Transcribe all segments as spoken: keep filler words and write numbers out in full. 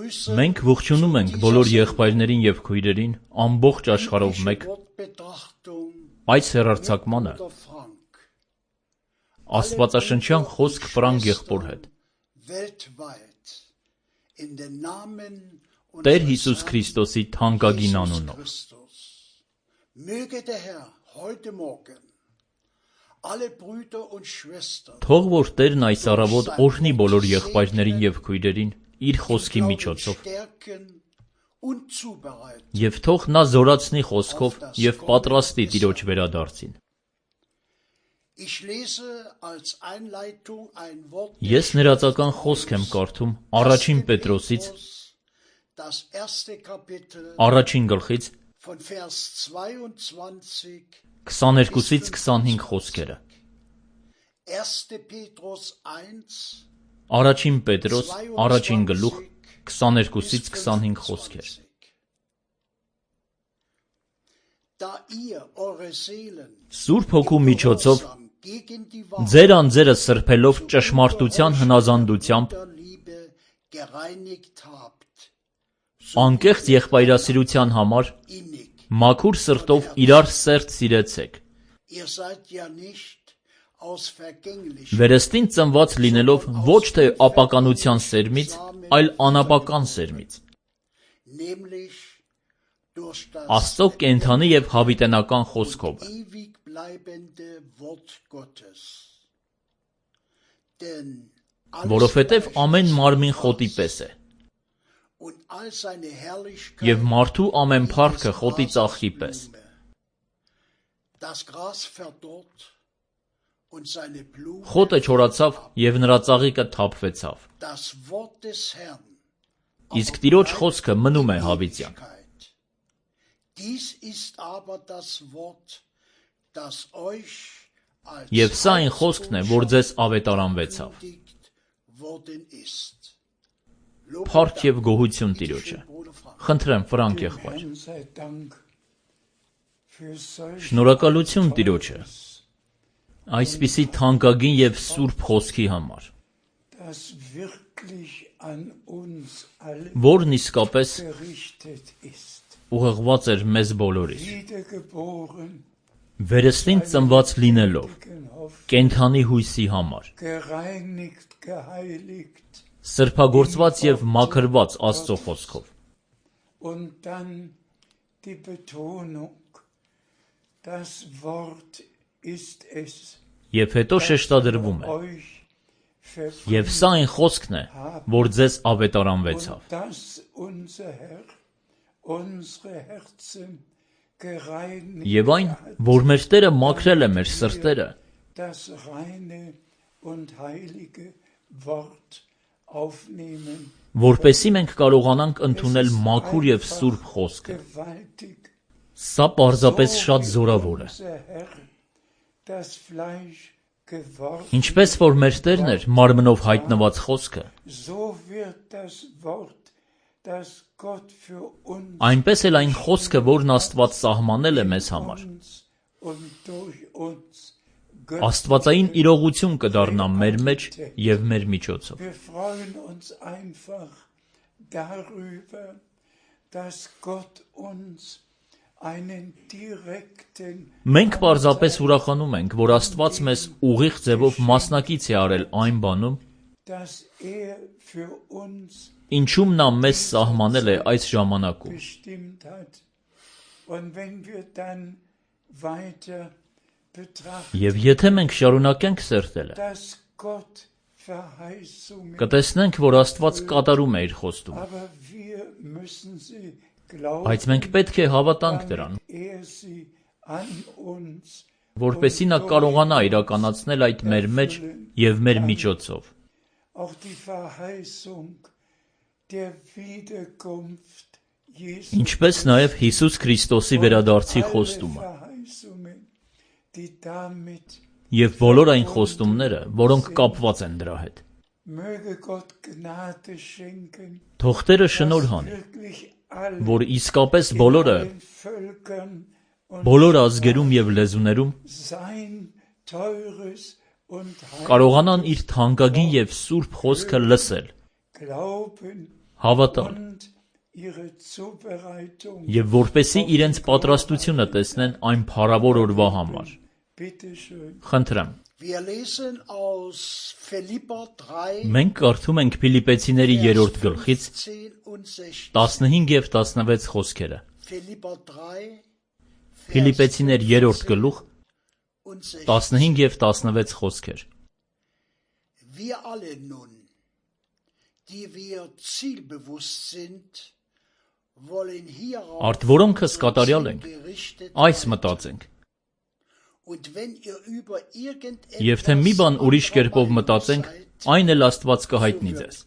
Մենք ողջունում ենք բոլոր եղբայրներին և քույրերին ամբողջ աշխարհով մեկ այս հեռարձակմանը աստվածաշնչյան խոսք Ֆրանկ եղբոր հետ Տեր Հիսուս Քրիստոսի թանկագին անունով Թող որ Տերն այս առավոտ օրհնի բոլոր եղբայրներին և քույրերին իր խոսքի միջոցով և թող նա զորացնի խոսքով և պատրաստի Տիրոջ վերադարձին։ Ես ներածական խոսք եմ կարդում առաջին Պետրոսից առաջին գլխից քսաներկուսից քսանհինգ խոսքերը։ Առաջին Պետրոս առաջին գլուխ քսաներկուսից քսանհինգ խոսքեր։ Սուրբ Հոգու միջոցով ձեր անձերը սրբելով ճշմարտության հնազանդությամբ անկեղծ եղբայրասիրության համար մաքուր սրտով իրար սերտ սիրեցեք, վերստին ծնված լինելով ոչ թե ապականության սերմից, այլ անապական սերմից, Աստծո կենդանի և հավիտենական խոսքով, որովհետև ամեն մարմին խոտի պես է, և մարդու ամեն փառքը խոտի ծաղկի պես։ Խոտը չորացավ և նրա ծաղիկը թափվեցավ, իսկ Տիրոջ խոսքը մնում է հավիտյան։ Եվ սա այն խոսքն է, որ ձեզ ավետարանվեցավ։ Փառք և գոհություն Տիրոջը։ Խնդրեմ Ֆրանկ եղբայր։ Շնորհակալություն Տիրոջը այսպիսի թանկագին և սուրբ խոսքի համար, որն իսկապես ուղղված էր մեզ բոլորիս, վերստին ծնված լինելով կենդանի հույսի համար, սրբագործված և մաքրված Աստծո խոսքով։ Եվ հետո շեշտադրվում է. և սա այն խոսքն է, որ ձեզ ավետարանվեցավ։ Եվ այն, որ մեր Տերը մաքրել է մեր սրտերը, որպեսզի մենք կարողանանք ընդունել մաքուր և սուրբ խոսքը։ Սա պարզապես շատ զորավոր է։ Ինչպես որ մեր Տերն էր մարմնով հայտնված խոսքը, այնպես էլ այն խոսքը, որն Աստված սահմանել է մեզ համար, աստվածային իրողություն կդառնա մեր մեջ և մեր միջոցով։ Մենք պարզապես ուրախանում ենք, որ Աստված մեզ ուղիղ ձևով մասնակից է արել այն բանում, ինչում նա մեզ սահմանել է այս ժամանակում։ Եվ եթե մենք շարունակենք սերտելը, կտեսնենք, որ Աստված կատարում է իր խոստումը, բայց մենք պետք է հավատանք դրան, որպեսզի նա կարողանա իրականացնել այդ մեր մեջ և մեր միջոցով։ Ինչպես նաև Հիսուս Քրիստոսի վերադարձի խոստումը և բոլոր այն խոստումները, որոնք կապված են դրա հետ։ Թող Տերը շնորհ անի, որ իսկապես բոլորը, բոլոր ազգերում և լեզուներում կարողանան իր թանկագին և սուրբ խոսքը լսել Հավատալ եւ որպեսզի իրենց պատրաստությունը տեսնեն այն փառավոր օրվա համար։ Խնդրեմ։ Մենք կարդում ենք Փիլիպեցիների երրորդ գլխից տասնհինգ եւ տասնվեց խոսքերը։ Փիլիպեցիներ երրորդ գլուխ տասնհինգ եւ տասնվեց խոսքեր։ Արդ որոնքս կատարյալ ենք, այս մտածենք։ Եվ թե մի բան ուրիշ կերպով մտածենք, այն էլ Աստված կհայտնի ձեզ։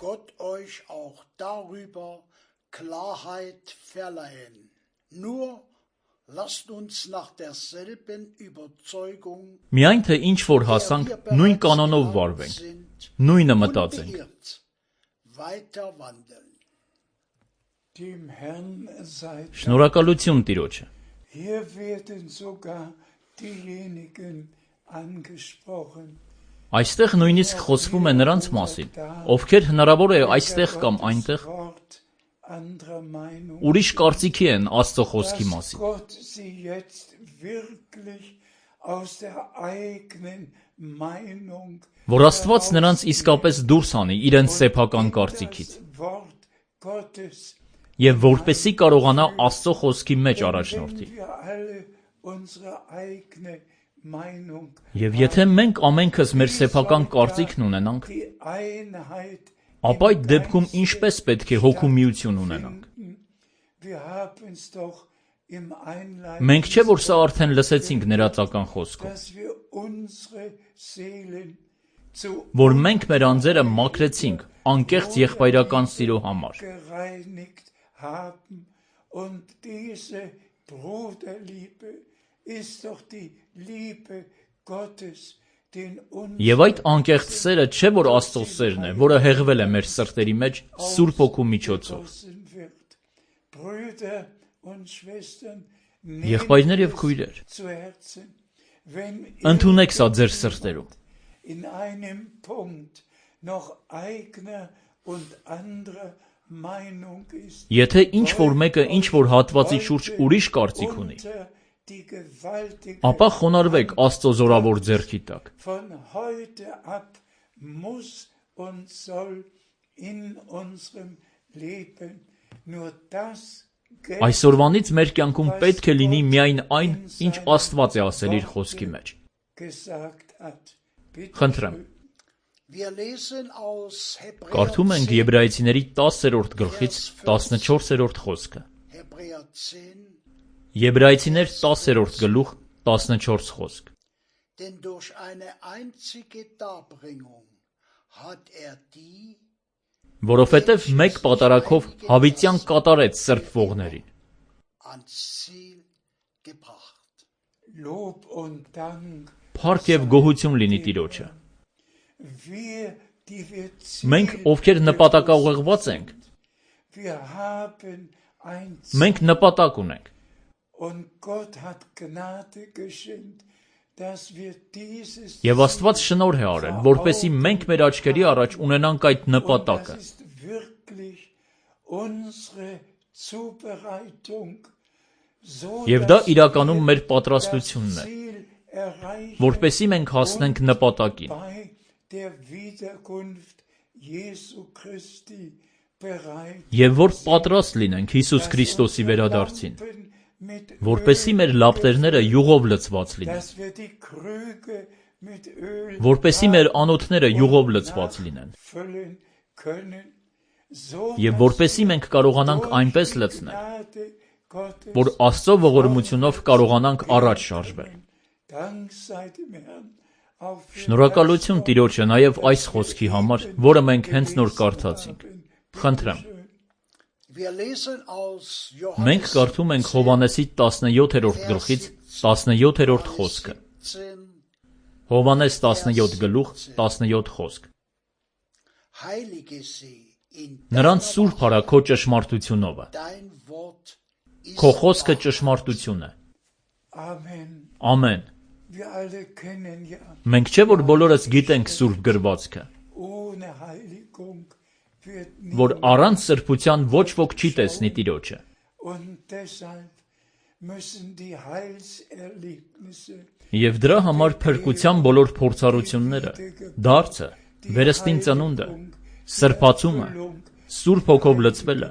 Միայն թե ինչ որ հասանք, նույն կանոնով վարվենք, նույնը մտածենք։ Շնորհակալություն Տիրոջը։ Այստեղ նույնիսկ խոսվում է նրանց մասին, ովքեր հնարավոր է այստեղ կամ այնտեղ ուրիշ կարծիքի են Աստծո խոսքի մասին։ Որ Աստված նրանց իսկապես դուրս անի իրենց սեփական կարծիքից եւ որպեսզի կարողանա Աստծո խոսքի մեջ առաջնորդի։ Եվ եթե մենք ամենքս մեր սեփական կարծիքն ունենանք, ապա այդ դեպքում ինչպես պետք է հոգու միություն ունենանք։ Մենք չէ՞ որ սա արդեն լսեցինք ներածական խոսքով, որ մենք մեր անձերը մաքրեցինք անկեղծ եղբայրական սիրո համար։ Եվ այդ անկեղծ սերը չէ որ Աստծո սերն է, որը հեղվել է մեր սրտերի մեջ Սուրբ Հոգու միջոցով։ Եղբայրներ եւ քույրեր, ընդունեք սա ձեր սրտերում։ Եթե ինչ որ մեկը ինչ որ հատվածի շուրջ ուրիշ կարծիք ունի, ապա խոնարհվեք Աստծո զորավոր ձեռքի տակ։ Այսօրվանից մեր կյանքում պետք է լինի միայն այն, ինչ Աստված է ասել իր խոսքի մեջ։ Խնդրեմ։ Կարդում ենք Եբրայեցիների տասերորդ գլխից տասնչորսերորդ խոսքը։ Եբրայեցիներ տասերորդ գլուխ տասնչորս խոսք։ Որովհետև մեկ պատարագով հավիտյան կատարեց սրբվողներին։ Փառք եւ գոհություն լինի Տիրոջը։ Մենք, ովքեր նպատակաուղղված ենք, մենք նպատակ ունենք։ Եվ Աստված շնորհ է արել, որպեսզի մենք մեր աչքերի առաջ ունենանք այդ նպատակը։ Եվ դա իրականում մեր պատրաստությունն է, որպեսզի մենք հասնենք նպատակին։ Եվ որ պատրաստ լինենք Հիսուս Քրիստոսի վերադարձին, որպեսզի մեր լապտերները յուղով լցված լինեն, որպեսզի մեր անոթները յուղով լցված լինեն, եւ որպեսզի մենք կարողանանք այնպես լցնել, որ Աստծո ողորմությունով կարողանանք առաջ շարժվել։ Շնորհակալություն Տիրոջը նաև այս խոսքի համար, որը մենք հենց նոր կարդացինք։ Խնդրեմ։ Մենք կարդում ենք Հովհաննեսի տասնյոթերորդ գլխից տասնյոթերորդ խոսքը։ Հովհաննես տասնյոթ գլուխ տասնյոթ խոսք։ Նրանց սուրբ արա քո ճշմարտությունովը։ Քո խոսքը ճշմարտություն է։ Ամեն։ Մենք չէ որ բոլորս գիտենք սուրբ գրվածքը։ որ առանց սրբության ոչ ոք չի տեսնի Տիրոջը։ Եվ դրա համար փրկության բոլոր փորձառությունները, դարձը, վերստին ծնունդը, սրբացումը, Սուրբ Հոգով լցվելը,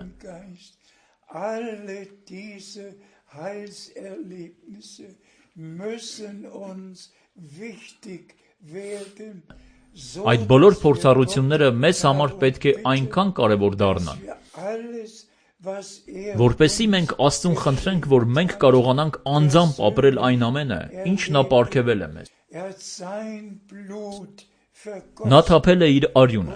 այդ բոլոր փորձառությունները մեզ համար պետք է այնքան կարևոր դառնան, որպեսզի մենք Աստծուն խնդրենք, որ մենք կարողանանք անձամբ ապրել այն ամենը, ինչ նա պարգևել է մեզ։ Նա թափել է իր արյունը,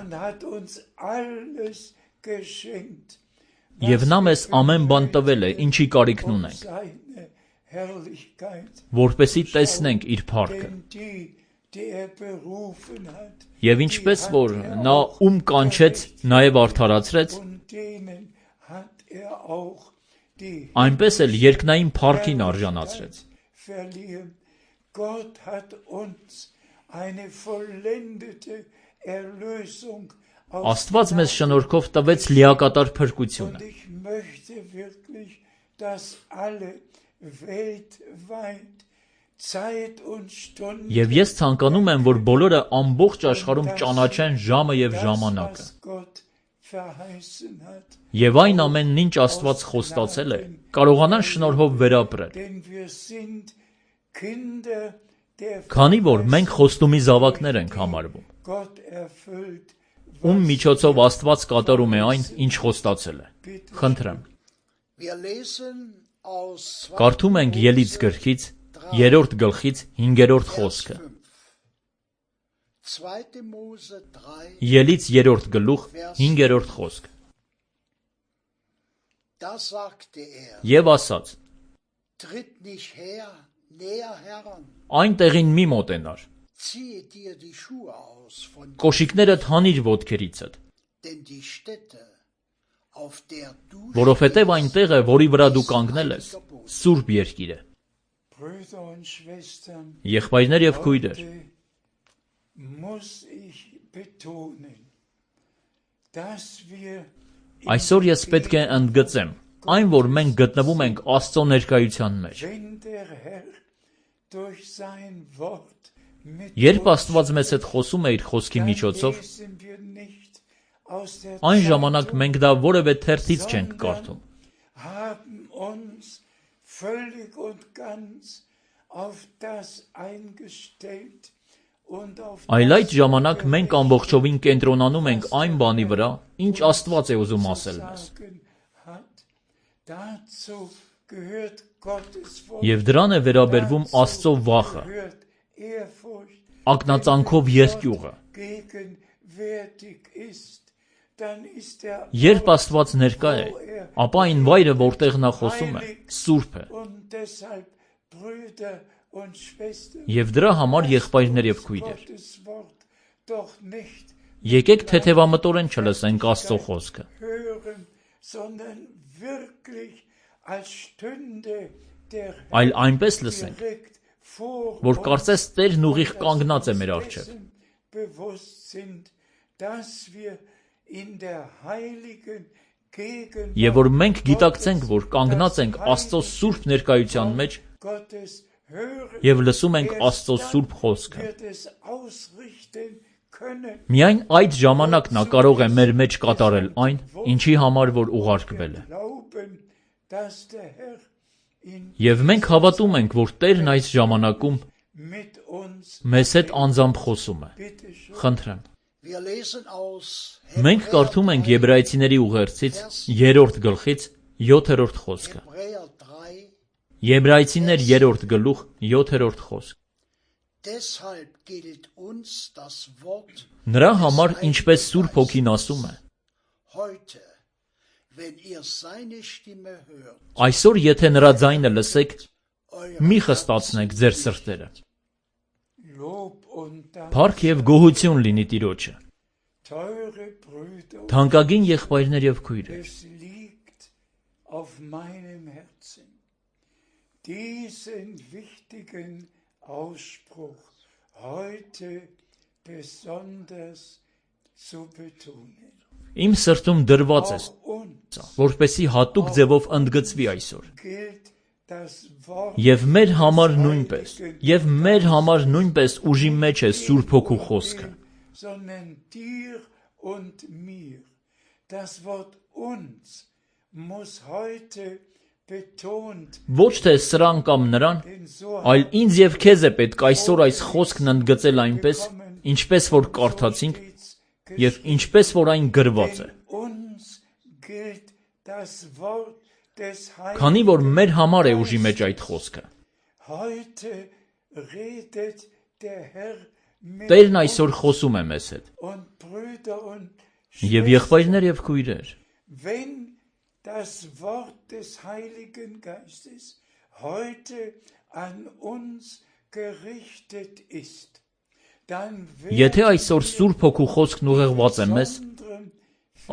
և նա մեզ ամեն բան տվել է, ինչի կարիքն ունենք, որպեսզի տեսնենք իր փառքը։ Եվ ինչպես որ նա ում կանչեց, նաև արդարացրեց, այնպես էլ երկնային փառքին արժանացրեց։ Աստված մեզ շնորհքով տվեց լիակատար փրկությունը։ Եվ ես ցանկանում եմ, որ բոլորը ամբողջ աշխարհում ճանաչեն ժամը և ժամանակը։ Եվ այն ամենն, ինչ Աստված խոստացել է, կարողանան շնորհով վերապրել։ Քանի որ մենք խոստումի զավակներ ենք համարվում, ում միջոցով Աստված կատարում է այն, ինչ խոստացել է։ Խնդրեմ։ Կարդում ենք Ելից գրքից երրորդ գլխից հինգերորդ խոսքը։ Ելից երրորդ գլուխ հինգերորդ խոսք։ Եվ ասաց. Այն տեղին մի մոտենար, կոշիկներդ հանիր ոտքերիցդ, որովհետև այն տեղը, որի վրա դու կանգնել ես, սուրբ երկիր է։ Եղբայրներ և քույրեր, այսօր ես պետք է ընդգծեմ այն, որ մենք գտնվում ենք Աստծո ներկայության մեջ։ Երբ Աստված մեզ հետ խոսում է իր խոսքի միջոցով, այն ժամանակ մենք դա որևէ թերթից չենք կարդում, այլ այդ ժամանակ մենք ամբողջովին կենտրոնանում ենք այն բանի վրա, ինչ Աստված է ուզում ասել մեզ։ Եվ դրան է վերաբերվում Աստծո վախը, ակնածանքով երկյուղը։ Երբ Աստված ներկա է, ապա այն վայրը, որտեղ նա խոսում է, սուրբ է։ Եվ դրա համար, եղբայրներ և քույրեր, եկեք թեթևամտորեն չլսենք Աստծո խոսքը, այլ այնպես լսենք, որ կարծես Տերն ուղիղ կանգնած է մեր առջև։ Եվ որ մենք գիտակցենք, որ կանգնած ենք Աստծո սուրբ ներկայության մեջ և լսում ենք Աստծո սուրբ խոսքը։ Միայն այդ ժամանակ նա կարող է մեր մեջ կատարել այն, ինչի համար որ ուղարկվել է։ Եվ մենք հավատում ենք, որ Տերն այս ժամանակում մեզ հետ անձամբ խոսում է։ Խնդրեմ։ Մենք կարդում ենք Եբրայեցիների ուղերձից երրորդ գլխից յոթերորդ խոսքը։ Եբրայեցիներ երրորդ գլուխ յոթերորդ խոսք։ Նրա համար, ինչպես Սուրբ Հոգին ասում է. այսօր եթե նրա ձայնը լսեք, մի խստացնեք ձեր սրտերը։ Փառք և գոհություն լինի Տիրոջը։ Թանկագին եղբայրներ և քույրեր, diesen wichtigen Ausspruch heute besonders zu betonen. Իմ սրտում դրված է, որպեսզի հատուկ ձևով ընդգծվի այսօր։ Եվ մեր համար նույնպես, եւ մեր համար նույնպես ուժի մեջ է Սուրբ Հոգու խոսքը։ Ոչ թե սրան կամ նրան, այլ ինձ եւ քեզ է պետք այսօր այս խոսքն ընդգծել այնպես, ինչպես որ կարդացինք եւ ինչպես որ այն գրված է։ Քանի որ մեր համար է ուժի մեջ այդ խոսքը։ Տերն այսօր խոսում է մեզ հետ։ Եվ եղբայրներ եւ քույրեր, das Wort des Heiligen Geistes heute an uns gerichtet ist, dann Եթե այսօր Սուրբ Հոգու խոսքն ուղղված է մեզ,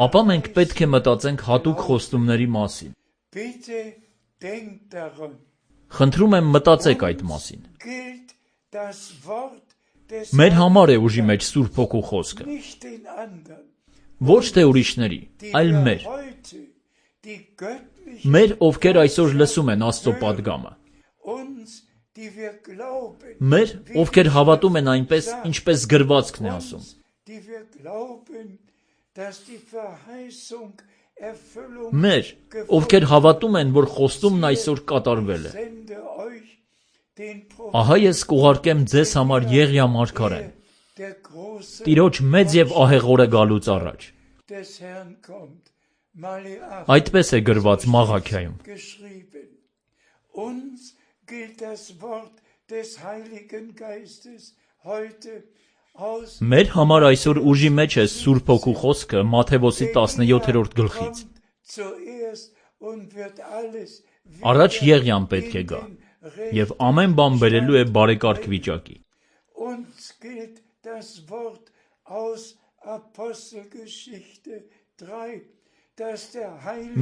ապա մենք պետք է մտածենք հատուկ խոստումների մասին։ Խնդրում եմ մտածեք այդ մասին։ Մեր համար է ուժի մեջ Սուրբ Հոգու խոսքը։ Ոչ թե ուրիշների, այլ մեր։ Մեր, ովքեր այսօր լսում են Աստծո պատգամը։ Մեր, ովքեր հավատում են այնպես, ինչպես գրվածքն է ասում։ Մեր, ովքեր հավատում են, որ խոստումն այսօր կատարվել է։ Ահա ես կուղարկեմ ձեզ համար Եղիա մարգարեն, Տիրոջ մեծ եւ ահեղ օրը գալուց առաջ։ Այդպես է գրված Մաղաքիայում։ Մեր համար այսօր ուժի մեջ է Սուրբ Հոգու խոսքը Մատթեոս տասնյոթերորդ գլխից։ Առաջ Եղիան պետք է գա, եւ ամեն բան բերելու է բարեկարգ վիճակի։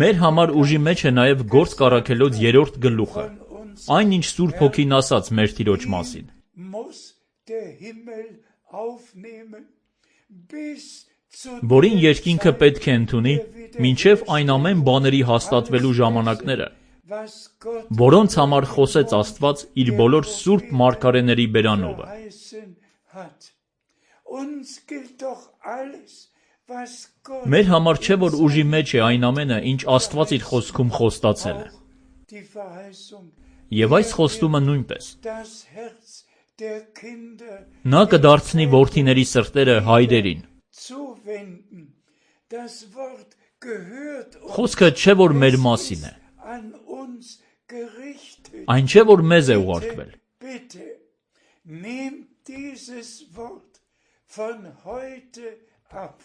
Մեր համար ուժի մեջ է նաև Գործք առաքելոց երրորդ գլուխը, այն ինչ Սուրբ Հոգին ասաց մեր Տիրոջ մասին։ Որին երկինքը պետք է ընդունի, մինչև այն ամեն բաների հաստատվելու ժամանակները, որոնց համար խոսեց Աստված իր բոլոր սուրբ մարգարեների բերանովը։ Մեր համար չէ, որ ուժի մեջ է այն ամենը, ինչ Աստված իր խոսքում խոստացել է։ Եվ այս խոստումը նույնպես։ Նա կդարձնի որդիների սրտերը հայրերին։ Խոսքը չէ, որ մեր մասին է։ Այն չէ, որ մեզ է ուղարկվել։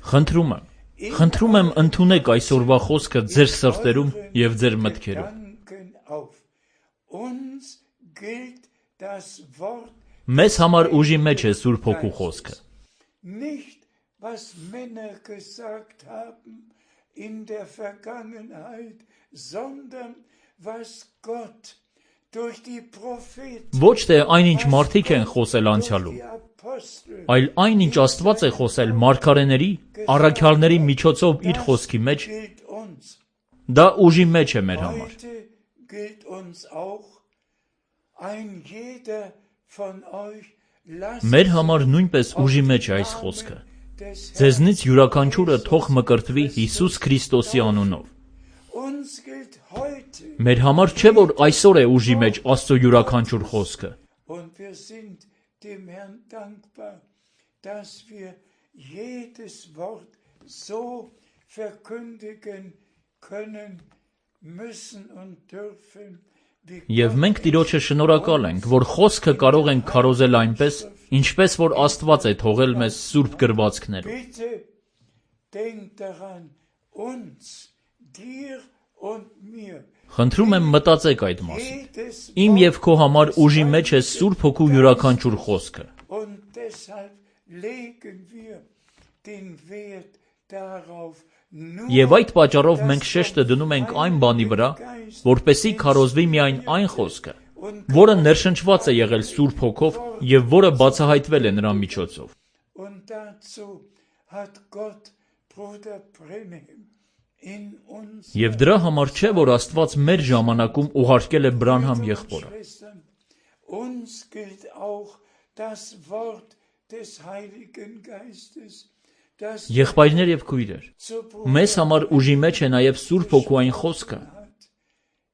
Խնդրում եմ, խնդրում եմ ընդունեք այսօրվա խոսքը ձեր սրտերում և ձեր մտքերում։ Մեզ համար ուժի մեջ է Սուրբ Հոգու խոսքը։ Ոչ թե այնինչ մարդիկ են խոսել անցյալում, այլ այնինչ Աստված է խոսել մարգարեների, առաքյալների միջոցով իր խոսքի մեջ, դա ուժի մեջ է մեր համար։ Մեր համար նույնպես ուժի մեջ է այս խոսքը։ Ձեզնից յուրաքանչյուրը թող մկրտվի Հիսուս Քրիստոսի անունով։ Մեր համար չէ, որ այսօր է ուժի մեջ Աստծո յուրաքանչյուր խոսքը։ Եվ մենք Տիրոջը շնորհակալ ենք, որ խոսքը կարող ենք քարոզել այնպես, ինչպես որ Աստված է թողել մեզ սուրբ գրվածքներում։ Խնդրում եմ մտածեք այդ մասին։ Իմ և քո համար ուժի մեջ է Սուրբ Հոգու յուրաքանչյուր խոսքը։ Եվ այդ պատճառով մենք շեշտը դնում ենք այն բանի վրա, որպեսզի քարոզվի միայն այն խոսքը, որը ներշնչված է եղել Սուրբ Հոգով և որը բացահայտվել է նրա միջոցով։ Bruder Branham in uns Եվ դրա համար չէ, որ Աստված մեր ժամանակում ուղարկել է Բրանհամ եղբորը։ Schwestern, uns gilt auch das Wort des Heiligen Geistes, das Եղբայրներ եւ քույրեր, zur մեզ համար ուժի մեջ է նաեւ Սուրբ Հոգուային խոսքը, hat.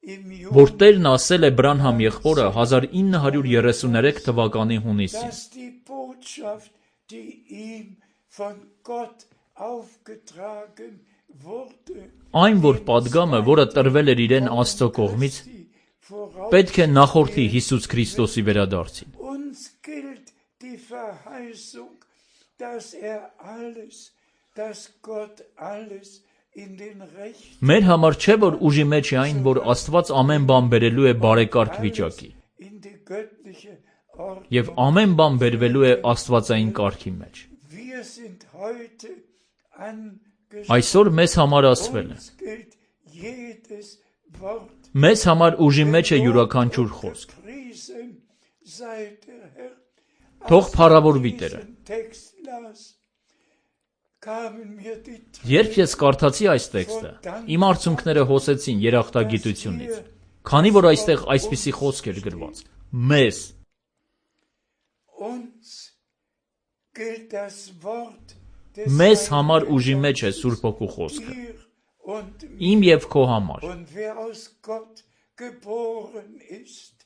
Im որ Juni, Տերն ասել է Բրանհամ եղբորը հազար ինը հարյուր երեսուներեք թվականի հունիսին։ dass die Botschaft, die ihm von Gott aufgetragen wurde, Այն, որ падգամը, որը տրվել էր իրեն Աստծո կողմից, die voraus պետք է նախորդի Հիսուս Քրիստոսի վերադարձին։ uns gilt die Verheißung, dass er alles, dass Gott alles in den Rechten, Մեր համար չէ, որ ուժի մեջ է այն, որ Աստված ամեն բան բերելու է բարեկարգ վիճակի, in die göttliche Ordnung. եւ ամեն բան բերվելու է Աստվածային կարգի մեջ։ Wir sind heute angesprochen. Այսօր մեզ համար ասվել է. Uns gilt jedes Wort. Մեզ համար ուժի մեջ է յուրաքանչյուր խոսք։ Gepriesen sei der Herr. Թող փառավորվի Տերը։ Diesen Text las, kamen mir die Երբ ես կարդացի այս տեքստը, իմ արցունքները հոսեցին երախտագիտությունից, քանի որ այստեղ այսպիսի խոսք էր գրված. Մեզ, Uns gilt das Wort des մեզ համար ուժի մեջ է Սուրբ Հոգու խոսքը, dir und mir. իմ եւ քո համար, Und wer aus Gott geboren ist,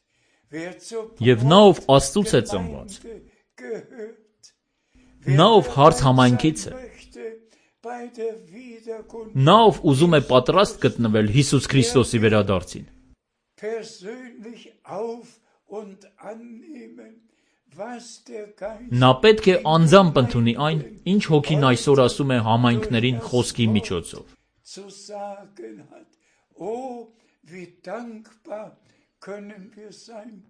wer zur Եվ նա, ով Աստծուց է ծնված, Gemeinde gehört, նա, ով հարց համայնքից է, möchte bei der Wiederkunft նա, ով ուզում է պատրաստ գտնվել Հիսուս Քրիստոսի վերադարձին, persönlich auf und annehmen, was der Geist նա պետք է անձամբ ընդունի այն, ինչ Հոգին այսօր ասում է համայնքներին խոսքի միջոցով։ zu sagen hat. Oh, wie dankbar können wir sein,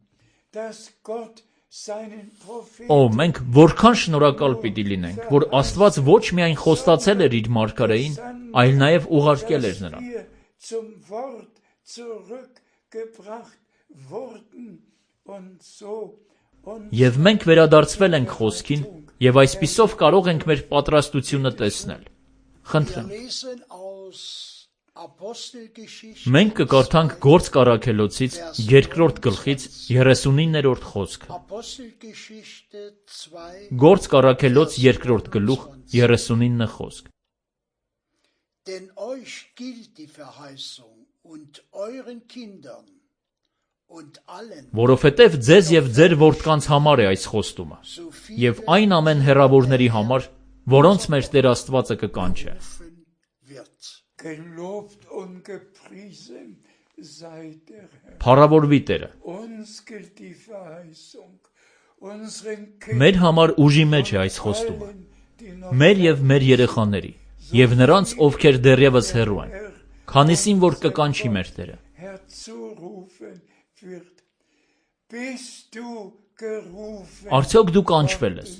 dass Gott seinen Propheten Օ, մենք որքան շնորհակալ պիտի լինենք, որ Աստված ոչ միայն խոստացել էր իր մարգարեին, այլ նաև ուղարկել էր նրան։ wir zum Wort zurückgebracht wurden und so und Եվ մենք վերադարձվել ենք խոսքին, եւ այսպիսով կարող ենք մեր պատրաստությունը տեսնել։ Խնդրեմ, lesen aus Apostelgeschichte, մենք կկարդանք Գործք առաքելոցից երկրորդ գլխից երեսունիններորդ խոսքը։ Apostelgeschichte zwei, Գործք առաքելոց երկրորդ գլուխ երեսունինը խոսք։ denn euch gilt die Verheißung und euren Kindern und allen, Որովհետև ձեզ եւ ձեր որդկանց համար է այս խոստումը, so եւ viele այն ամեն հեռավորների համար, որոնց մեր Տեր Աստվածը կկանչե։ rufen wird. gelobt und gepriesen sei der Herr. Փառավորվի Տերը։ Uns gilt die Verheißung, unseren Մեր համար ուժի մեջ է այս խոստումը, Kindern, die noch մեր եւ մեր երեխաների, եւ նրանց, ովքեր դեռևս հեռու են, քանիսին որ կկանչի մեր Տերը։ herzurufen wird. Bist du gerufen? Արդյոք դու կանչվել ես։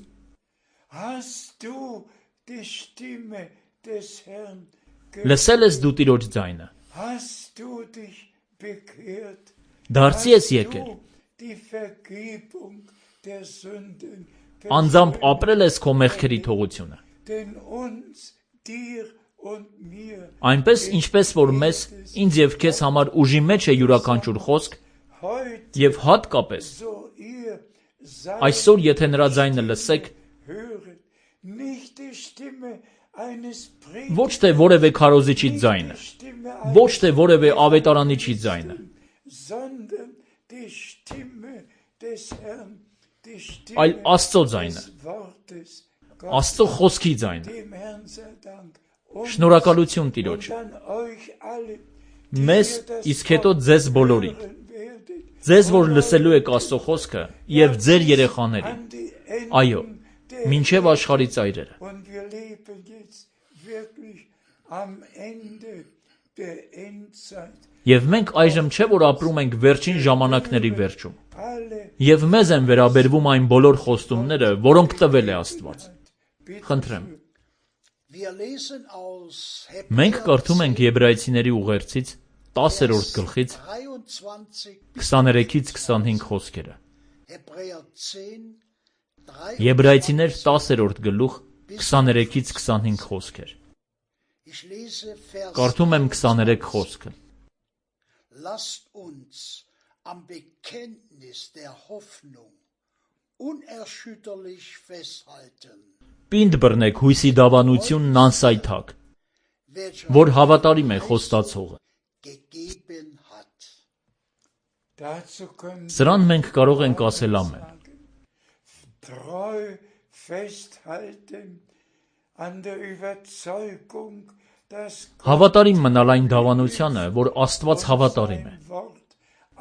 Hast du die Stimme des Herrn gehört? Լսել ես դու Տիրոջ ձայնը։ Hast du dich bekehrt? Դարձի ես Hast եկել։ du die Vergebung der Sünden? Անձամբ ապրել ես քո մեղքերի թողությունը։ Denn uns, dir und mir, Այնպես ինչպես որ մեզ, ինձ եւ քեզ համար ուժի մեջ է յուրաքանչյուր խոսք, heute եւ հատկապես so ihr seid, այսօր եթե նրա ձայնը լսեք, höret, nicht die Stimme eines ոչ թե որևէ քարոզիչի ձայնը, Stimme ոչ թե որևէ ավետարանիչի ձայնը, sondern die Stimme des Herrn, die Stimme այլ Աստծո ձայնը, des Wortes, Աստծո խոսքի ձայնը։ dem Herrn sei Dank. Und Շնորհակալություն Տիրոջ։ an euch alle, Մեզ, իսկ հետո ձեզ բոլորին, hören werdet, ձեզ որ լսելու եք Աստծո խոսքը եւ ձեր երեխաներին, an die Enden այո, der մինչև աշխարհի ծայրերը։ Und wir leben jetzt wirklich am Ende der Endzeit. Եւ մենք այժմ չէ որ ապրում ենք վերջին ժամանակների վերջում։ Alle Եվ մեզ են վերաբերվում այն բոլոր խոստումները, որոնք տվել է Աստված։ Խնդրեմ, Wir lesen aus մենք Hebräer կարդում ենք Եբրայեցիների ուղերձից տասերորդ գլխից dreiundzwanzig, քսաներեքից քսանհինգ խոսքերը։ Hebräer zehn, Եբրայեցիներ տասերորդ գլուխ քսաներեքից քսանհինգ խոսքեր։ Ich lese Vers Կարդում եմ քսաներեք խոսքը։ Lasst uns am Bekenntnis der Hoffnung unerschütterlich festhalten, Պինդ բռնեք հույսի դավանությունն անսայթակ, welcher որ հավատարիմ է խոստացողը։ gegeben hat. Dazu können Սրան մենք կարող ենք ասել ամեն։ treu festhalten an der Überzeugung, dass Հավատարիմ մնալ այն դավանությանը, որ Աստված հավատարիմ է, sein Wort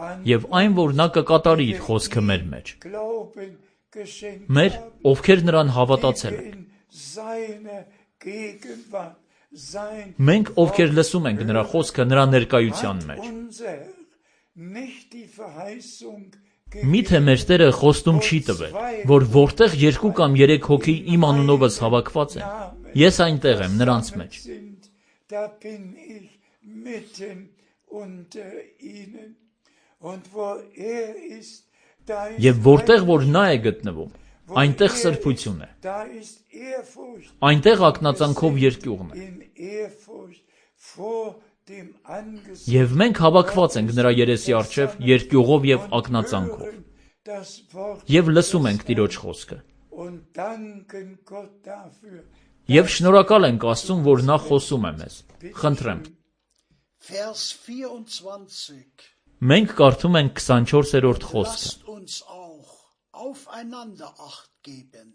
an եւ այն, որ նա կկատարի իր խոսքը մեր մեջ։ Glauben geschenkt Մեր, haben, ովքեր նրան հավատացել են։ in seiner Gegenwart, sein Մենք, ովքեր լսում ենք նրա խոսքը նրա ներկայության մեջ։ unser nicht die Verheißung Միթե մեր Տերը խոստում չի տվել, որ որտեղ երկու կամ երեք հոգի իմ անունովս հավաքված են, ես այնտեղ եմ նրանց մեջ։ sind, da bin ich mitten unter ihnen. Und wo er ist, da ist Եվ որտեղ որ նա է գտնվում, այնտեղ սրբություն է, da ist Ehrfurcht, այնտեղ ակնածանքով երկյուղն է։ in Ehrfurcht vor dem Angesicht Եվ մենք հավաքված ենք նրա երեսի առջև երկյուղով եւ ակնածանքով, hören das Wort եւ լսում ենք Տիրոջ խոսքը։ und danken Gott dafür. Եվ շնորհակալ ենք Աստծուն, որ նա խոսում է մեզ։ Խնդրեմ, Vers vierundzwanzig. մենք կարդում ենք քսանչորսերորդ խոսքը։ Lasst uns auch aufeinander Acht geben,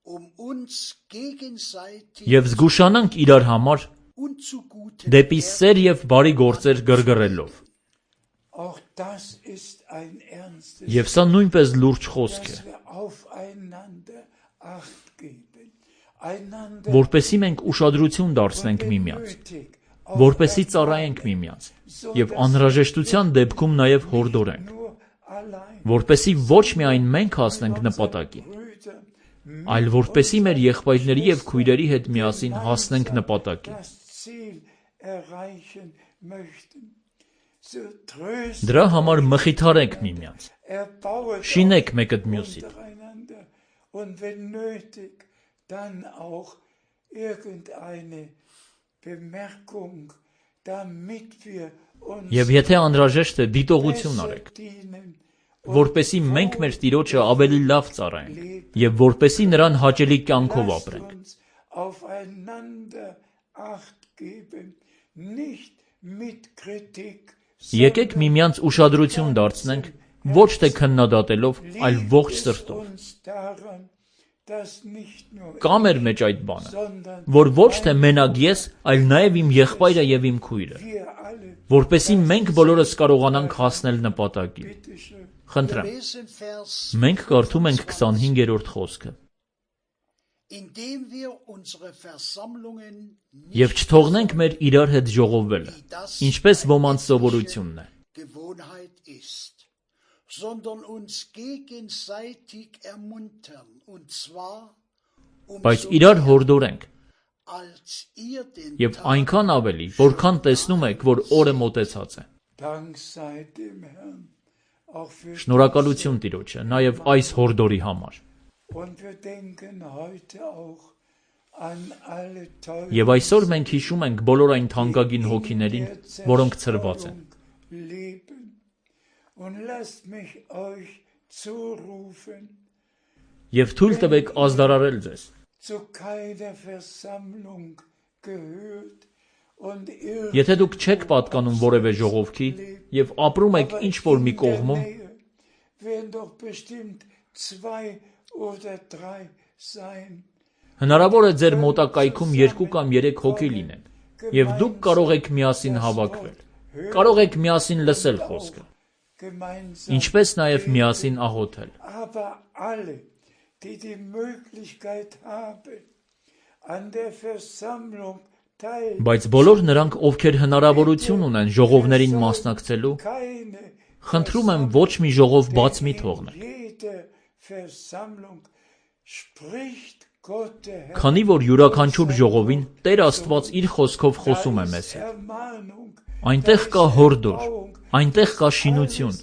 um uns gegenseitig Եվ զգուշանանք իրար համար und zu guten դեպի սեր եւ բարի գործեր գրգռելով։ Auch das ist ein ernstes, Եվ սա նույնպես լուրջ խոսք է, dass wir aufeinander Acht geben, einander որպեսի մենք ուշադրություն դարձնենք միմյանց, nötig, որպեսի ծառայենք միմյանց եւ անհրաժեշտության դեպքում նաեւ հորդորենք, nur allein, որպեսի ոչ միայն մենք հասնենք նպատակին, Brüder, այլ որպեսի մեր եղբայրների եւ քույրերի հետ միասին հասնենք նպատակին։ das Ziel erreichen möchten. So trösten, Դրա համար մխիթարենք միմյանց, erbauen շինեք մեկըդ մյուսին, untereinander und wenn nötig, dann auch irgendeine Bemerkung, damit wir uns եւ եթե անհրաժեշտ է դիտողություն արեք, dienen, որպեսի մենք մեր Տիրոջը ավելի լավ ծառայենք եւ որպեսի նրան հաճելի կյանքով lasst ապրենք։ uns aufeinander Acht geben, nicht mit Kritik, Եկեք միմյանց ուշադրություն դարձնենք ոչ թե քննադատելով, այլ ողջ liegt es սրտով։ uns daran, dass nicht nur Կա մեր մեջ այդ բանը, sondern որ ոչ թե մենակ ես, այլ նաեւ իմ եղբայրը եւ իմ քույրը, wir alle, որպեսի մենք բոլորս կարողանանք հասնել նպատակին։ bitteschön, Խնդրեմ, lesen Vers, մենք կարդում ենք քսանհինգերորդ խոսքը։ indem wir unsere Versammlungen Եվ չթողնենք մեր իրար հետ ժողովվելը, ինչպես ոմանց սովորությունն է, Gewohnheit ist, sondern uns gegenseitig ermuntern, und zwar բայց umso իրար mehr, հորդորենք, als ihr den եւ այնքան ավելի, որքան տեսնում եք, որ օրը մոտեցած է։ Dank sei dem Herrn, auch für Շնորհակալություն Տիրոջը, նաեւ այս հորդորի համար։ und wir denken heute auch an alle teuren Եվ այսօր մենք հիշում ենք բոլոր այն թանկագին հոգիներին, որոնք ցրված են։ leben. Und lasst mich euch zurufen, Եվ թույլ տվեք ազդարարել ձեզ, zu keiner Versammlung gehört und ihr եթե դուք չեք պատկանում որևէ ժողովքի եւ ապրում եք ինչ-որ մի կողմում, werden doch bestimmt zwei oder drei sein. հնարավոր է ձեր մոտակայքում երկու կամ երեք հոգի լինեն, եւ դուք կարող եք միասին հավաքվել, կարող եք միասին լսել խոսքը, Gemeinsam, ինչպես նաեւ միասին աղոթել։ aber alle, die die Möglichkeit haben, an der Versammlung teil, Բայց բոլոր նրանք, ովքեր հնարավորություն ունեն ժողովներին մասնակցելու, keine խնդրում եմ ոչ մի ժողով բաց մի թողնել, jeder Versammlung spricht Gott der Herr քանի որ յուրաքանչյուր ժողովին Տեր Աստված իր խոսքով խոսում է մեզ հետ։ Ermahnung, Այնտեղ կա հորդոր, այնտեղ կա շինություն,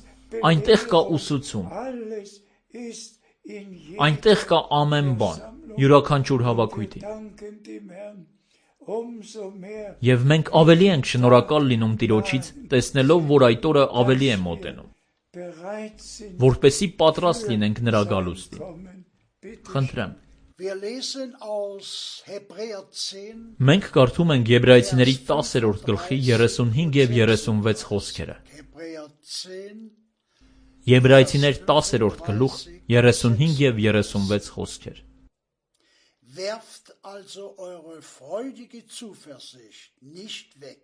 այնտեղ կա ուսուցում, alles ist in jedem. այնտեղ կա ամեն բան յուրաքանչյուր հավաքույթի։ Danken dem Herrn umso mehr Եվ մենք ավելի ենք շնորհակալ լինում Տիրոջից, տեսնելով, որ այդ օրը ավելի է մոտենում, bereit sind, որպեսզի պատրաստ լինենք նրա գալուստին։ kommen. Bitte Խնդրեմ։ Wir lesen aus Hebräer zehn, Մենք կարդում ենք Եբրայեցիների տասերորդ գլխի երեսունհինգ եւ երեսունվեց խոսքերը։ Hebräer zehn, Եբրայեցիներ տասերորդ գլուխ երեսունհինգ եւ երեսունվեց խոսքեր։ werft also eure freudige Zuversicht nicht weg.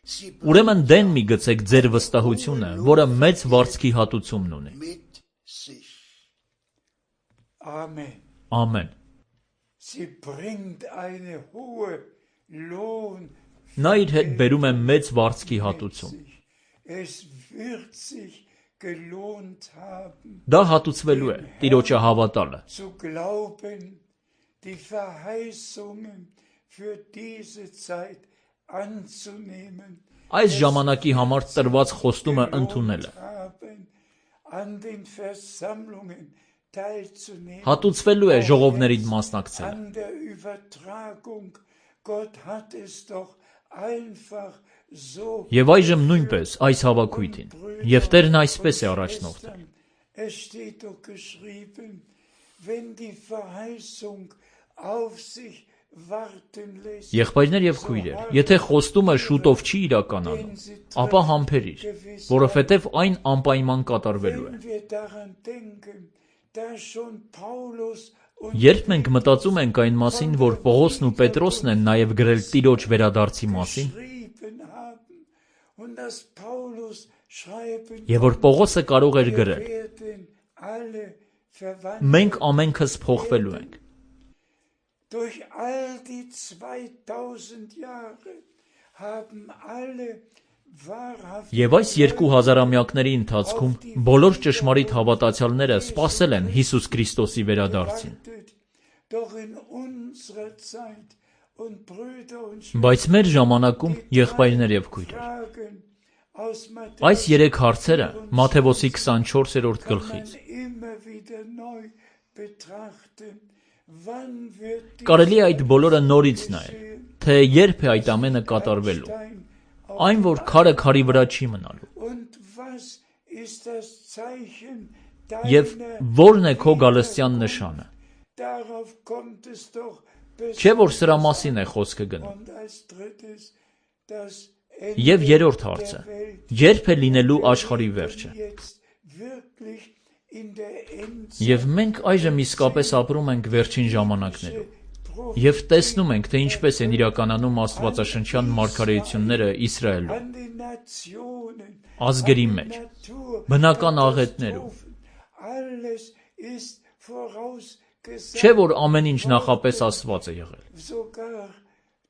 Sie Ուրեմն դեն մի գցեք ձեր վստահությունը, որը մեծ վարձքի հատուցումն ունի։ mit sich. Amen. Ամեն։ Sie bringt eine hohe Lohn. Նա իր հետ բերում է մեծ վարձքի հատուցում։ Es wird sich gelohnt haben, Դա հատուցվելու է Տիրոջը հավատալը։ zu glauben, die Verheißungen für diese Zeit anzunehmen, Այս ժամանակի համար տրված խոստումը ընդունելը։ haben, an den Versammlungen teilzunehmen, Հատուցվելու է ժողովներին մասնակցելը։ an der Übertragung. Gott hat es doch einfach so Եվ այժմ նույնպես այս հավաքույթին։ Եվ Տերն այսպես է առաջնորդել։ Es steht doch geschrieben, wenn die Verheißung auf sich warten lässt, Եղբայրներ եւ քույրեր, եթե խոստումը շուտով չի իրականանում, ապա համբերիր, որովհետեւ այն անպայման կատարվելու է։ wenn wir daran denken, dass schon Paulus und Երբ մենք մտածում ենք այն մասին, որ Պողոսն ու Պետրոսն են նաև գրել Տիրոջ վերադարձի մասին, geschrieben haben und dass Paulus schreiben եւ որ Պողոսը կարող էր գրել, werden alle verwandelt մենք ամենքս փոխվելու ենք։ durch all die zweitausend Jahre haben alle wahrhaft Եվ այս երկու հազարամյակների ընթացքում բոլոր ճշմարիտ հավատացյալները սպասել են Հիսուս Քրիստոսի վերադարձին։ gewartet, doch in unserer Zeit und Brüder und Բայց մեր ժամանակում եղբայրներ եւ քույրեր, Fragen aus այս երեք հարցերը Մատթեոսի քսանչորսերորդ գլխից immer wieder neu betrachten. Wann wird die կարելի է այդ բոլորը նորից նայել, թե երբ է այդ ամենը կատարվելու, Stein այն որ քարը քարի վրա չի մնալու, und was ist das Zeichen եւ deiner որն է քո գալստյան նշանը։ Darauf kommt es doch Չէ որ սրա մասին է խոսքը գնում։ und als drittes das Եվ երրորդ հարցը. Երբ է լինելու աշխարհի վերջը։ jetzt wirklich in der Endzeit Եվ մենք այժմ իսկապես ապրում ենք վերջին ժամանակներում։ Եվ տեսնում ենք, թե ինչպես են իրականանում աստվածաշնչյան մարգարեությունները Իսրայելում, an den Nationen, ազգերի մեջ, Natur, բնական աղետներում։ alles ist vorausgesagt, Չէ որ ամեն ինչ նախապես ասված է եղել։ sogar,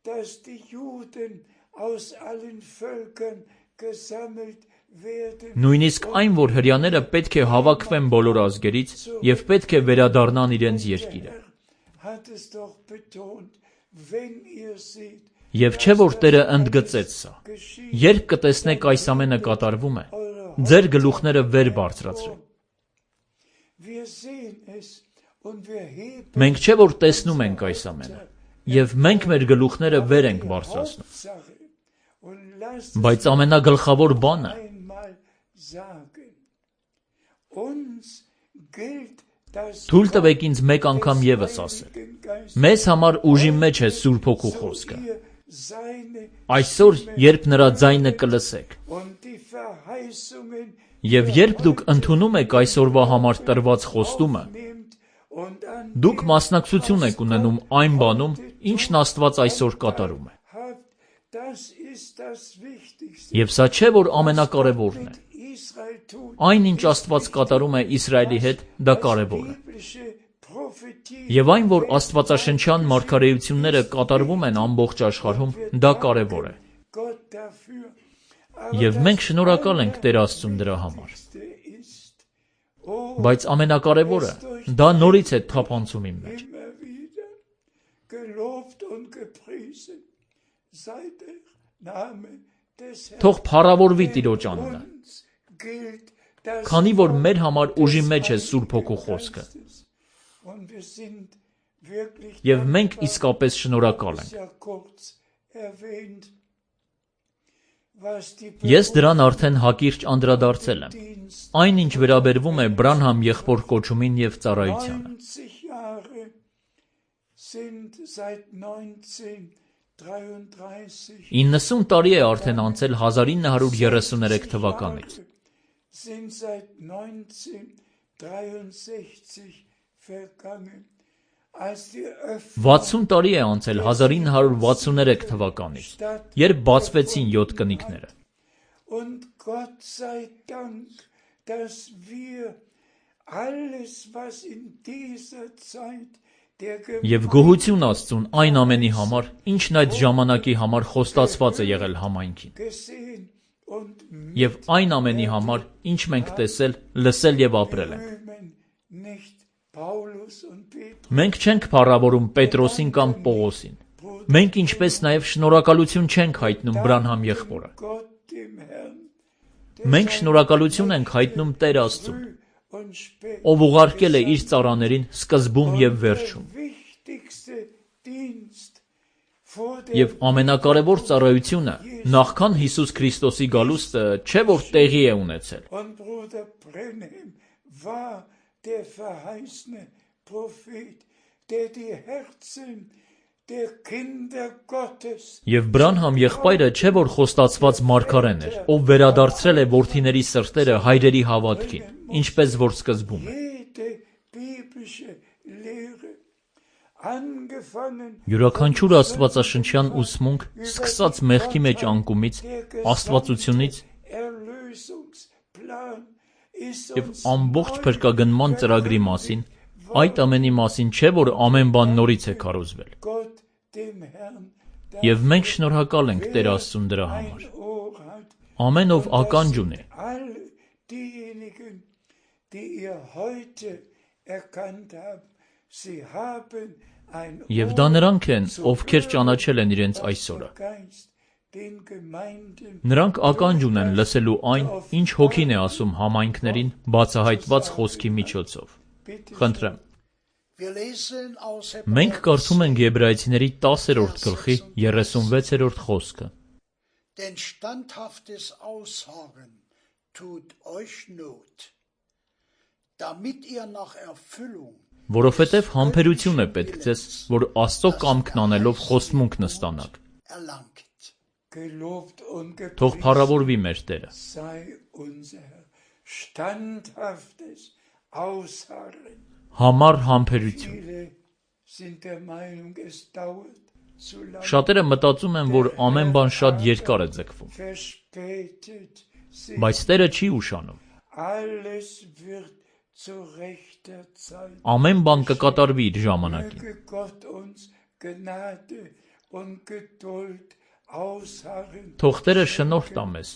dass die Juden aus allen Völkern gesammelt werden. Նույնիսկ այն, որ հրյաները պետք է հավաքվեն բոլոր ազգերից եւ պետք է վերադառնան իրենց երկիրը։ Hat es doch betont, wenn ihr seht, Եվ չէ որ Տերը ընդգծեց սա։ Երբ կտեսնեք այս ամենը կատարվում է, ձեր գլուխները վեր բարձրացրեք։ wir sehen es und wir heben Մենք չէ որ տեսնում ենք այս ամենը, եւ մենք մեր գլուխները վեր ենք բարձրացնում։ Hauptsache und lasst Բայց ամենագլխավոր բանը einmal sagen. Uns gilt das թույլ տվեք ինձ մեկ անգամ եւս ասել։ Heiligen Geist Մեզ համար ուժի մեջ է Սուրբ Հոգու խոսքը։ ihr seine Այսօր, երբ նրա ձայնը կլսեք, und die Verheißungen եւ երբ դուք ընդունում եք այսօրվա համար տրված խոստումը, nimmt und an դուք մասնակցություն եք ունենում այն բանում, ինչն Աստված այսօր կատարում է։ habt, das ist das Wichtigste. Եվ սա չէ որ ամենակարևորն է։ Israel tut Այն ինչ Աստված կատարում է Իսրայելի հետ, դա կարևոր է։ biblische Prophetie Եվ այն, որ աստվածաշնչյան մարգարեությունները կատարվում են ամբողջ աշխարհում, դա կարևոր է։ Gott dafür. Եվ մենք շնորհակալ ենք Տեր Աստծուն դրա համար։ Ist, oh, Բայց ամենակարևորը դա նորից է թափանցում իմ մեջ։ immer wieder gelobt und gepriesen sei der Name des Herrn. Թող փառավորվի Տիրոջ անունը, Uns gilt das քանի որ մեր համար ուժի մեջ է Սուրբ Հոգու խոսքը։ und wir sind wirklich Եվ մենք dankbar, իսկապես շնորհակալ ist ենք։ ja kurz erwähnt, was die Ես դրան արդեն հակիրճ անդրադարձել եմ։ Dienst Այն ինչ վերաբերվում է Բրանհամ եղբոր կոչումին եւ ծառայությանը։ neunzig Jahre sind seit neunzehnhundertdreiunddreißig իննսուն տարի է արդեն անցել հազար ինը հարյուր երեսուներեք թվականից։ sind seit neunzehnhundertdreiundsechzig vergangen, als die վաթսուն տարի է անցել հազար ինը հարյուր վաթսուներեք թվականից, երբ բացվեցին յոթ կնիկները։ Und Gott sei Dank, dass wir alles, was in dieser Zeit der Եվ գոհություն Աստծուն այն ամենի համար, ինչն այդ ժամանակի համար խոստացված է եղել համայնքին։ gesehen und Եվ այն ամենի համար, ինչ մենք տեսել, լսել եւ ապրել ենք։ rühmen nicht Paulus und Petrus. Մենք չենք փառավորում Պետրոսին կամ Պողոսին։ Մենք ինչպես նաեւ շնորհակալություն չենք հայտնում Բրանհամ եղբորը։ Gott dem Herrn, Մենք շնորհակալություն ենք հայտնում Տեր Աստծուն, früh und spät ով ուղարկել է իր ծառաներին սկզբում եւ վերջում։ wichtigste Dienst vor Եվ dem ամենակարևոր ծառայությունը նախքան Հիսուս Քրիստոսի գալուստը չէ որ տեղի է ունեցել։ Und Bruder Brenhem war der verheißene Prophet, der die Herzen der Kinder Gottes Եվ Բրանհամ եղբայրը չէ որ խոստացված մարգարեն էր, ով վերադարձրել է որդիների սրտերը հայրերի հավատքին, ինչպես որ սկզբում է։ jede biblische Lehre angefangen Յուրաքանչյուր աստվածաշնչյան ուսմունք, սկսած մեղքի մեջ անկումից, աստվածությունից Erlösungsplan ist եւ uns ամբողջ փրկագնման ծրագրի մասին, այդ ամենի մասին չէ որ ամեն բան նորից է քարոզվել։ Gott dem Herrn Եվ մենք շնորհակալ ենք Տեր Աստծուն դրա համար։ ein Ohr hat. Ամեն ով ականջ ունի, All diejenigen, die ihr heute erkannt haben, sie haben ein եւ դա նրանք են, ովքեր ճանաչել են իրենց այսօրը։ Geist, den Gemeinden Նրանք ականջ ունեն լսելու այն, ինչ հոգին է ասում համայնքներին բացահայտված խոսքի միջոցով։ Խնդրեմ։ Wir lesen aus Մենք Hebräer կարդում ենք Եբրայեցիների տասերորդ գլխի երեսունվեցերորդ խոսքը։ Denn standhaftes Ausharren tut euch Not, damit ihr nach Erfüllung Որովհետև համբերություն է պետք ձեզ, որ Աստծո կամքն անելով խոստմունքն ստանաք։ erlangt. Gelobt und Թող gepriesen փառավորվի մեր Տերը։ sei unser Herr. Standhaftes Ausharren. Համառ համբերություն։ Viele sind der Meinung, es dauert zu lange. Շատերը մտածում են, որ ամեն բան շատ երկար է ձգվում, Verspätet sich. բայց Տերը չի ուշանում։ Alles wird zu rechter Zeit. Ամեն բան կկատարվի իր ժամանակին։ Möge Gott uns Gnade und Geduld ausharren Թող Տերը շնորհ տա մեզ,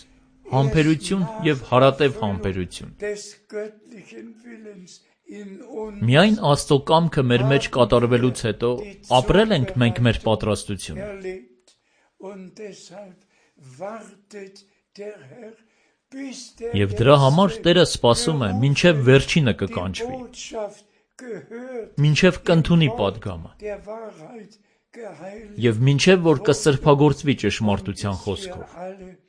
համբերություն եւ հարատև համբերություն։ des göttlichen Willens in uns Միայն Աստծո կամքը մեր մեջ կատարվելուց հետո ապրել ենք մենք մեր պատրաստությունը։ erlebt. Und deshalb wartet der Herr, bis der Եվ դրա համար Letzte Տերը սպասում է, մինչև վերջինը die կկանչվի, Botschaft gehört, մինչև կընդունի падգամը, der Wahrheit geheiligt. եւ մինչև որ կսրբագործվի ճշմարտության խոսքով, Wir alle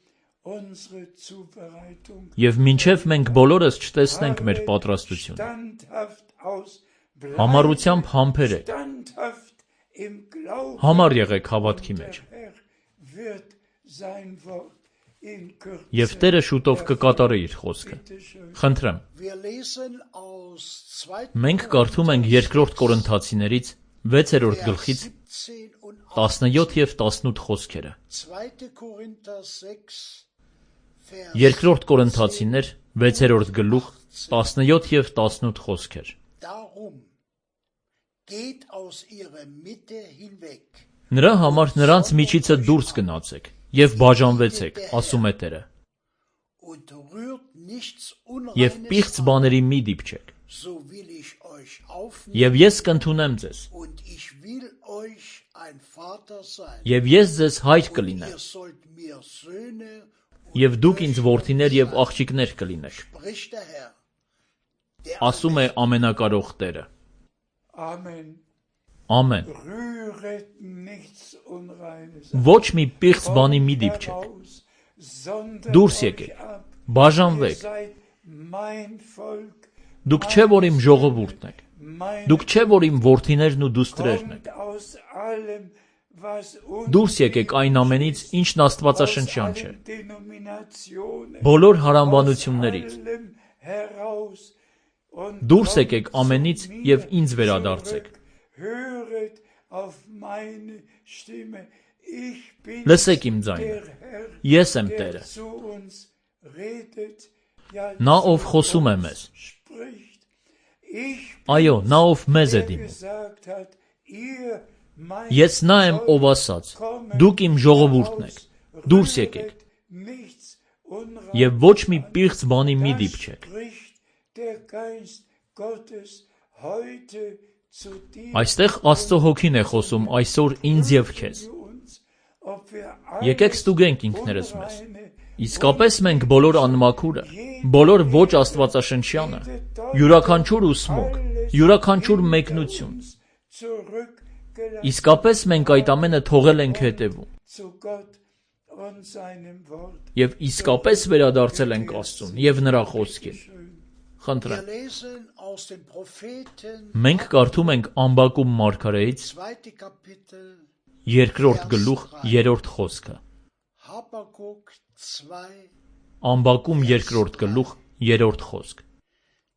unsere Zubereitung եւ մինչև մենք բոլորս չտեսնենք մեր պատրաստությունը։ standhaft aus, Համառությամբ համբերեք, standhaft im Glauben. համառ եղեք հավատքի մեջ, Der Herr wird sein Wort in Kürze. եւ Տերը շուտով կկատարի իր խոսքը։ Bitte schön. Խնդրեմ, Wir lesen aus zweiten մենք կարդում ենք երկրորդ Կորինթացիներից վեցերորդ գլխից siebzehn und տասնյոթ եւ տասնութ խոսքերը։ zweiter Korinther sechs, Vers Երկրորդ Կորինթացիներ վեցերորդ գլուխ տասնյոթ եւ տասնութ խոսքեր։ Darum geht aus ihrer Mitte hinweg. Նրա համար նրանց միջիցը դուրս գնացեք եւ բաժանվեցեք, ասում է Տերը, Und rührt nichts եւ Unreines պիղծ an, բաների մի դիպչեք։ so will ich euch aufnehmen Եվ ես կընդունեմ ձեզ, und ich will euch ein Vater sein. եւ ես ձեզ հայր Und կլինեմ, ihr sollt mir Söhne, եւ դուք ինձ որդիներ եւ աղջիկներ կլինեք, spricht der Herr. Der ասում է ամենակարող Տերը։ Amen. Ամեն։ Rühret nichts Unreines Ոչ մի պիղծ բանի մի դիպչեք։ aus, sondert Դուրս euch եկեք, ab. Ihr բաժանվեք։ seid mein Volk, Դուք չէ որ իմ ժողովուրդն եք։ mein Դուք չէ որ իմ որդիներն ու դուստրերն եք։ kommt aus allem, was Դուրս եկեք այն ամենից, ինչն աստվածաշնչյան չէ։ Denominationen, Բոլոր հարանվանություններից։ allem heraus und Դուրս եկեք ամենից եւ ինձ վերադարձեք։ höret auf meine Stimme. Ich bin Լսեք իմ ձայնը։ der Herr, Ես եմ der Տերը։ zu uns redet, ja, Նա zu ով խոսում է uns մեզ։ spricht. Ich Այո, նա ով մեզ է der դիմում։ gesagt hat, ihr mein Ես նա եմ, ով ասաց. Դուք իմ ժողովուրդն եք։ Դուրս եկեք։ nichts Unreines Եվ ոչ մի պիղծ բանի մի Das դիպչեք։ spricht der Geist Gottes heute zu dir Այստեղ Աստծո հոգին է խոսում այսօր ինձ եւ քեզ։ zu uns, ob wir Եկեք alles ստուգենք ինքներս մեզ։ Unreine Իսկապես մենք բոլոր անմաքուրը, բոլոր ոչ աստվածաշնչյանը, յուրաքանչյուր ուսմուկ, յուրաքանչյուր մեկնություն։ uns zurückgelassen Իսկապես մենք այդ ամենը թողել ենք հետևում zu Gott und seinem Wort. եւ իսկապես վերադարձել ենք Աստծուն եւ նրա խոսքին։ Խնդրեմ։ Wir lesen aus dem Propheten, Մենք կարդում ենք Ամբակում մարգարեից zweite Kapitel, երկրորդ գլուխ երրորդ խոսքը։ Habakuk zwei, Ամբակում երկրորդ գլուխ երրորդ խոսք։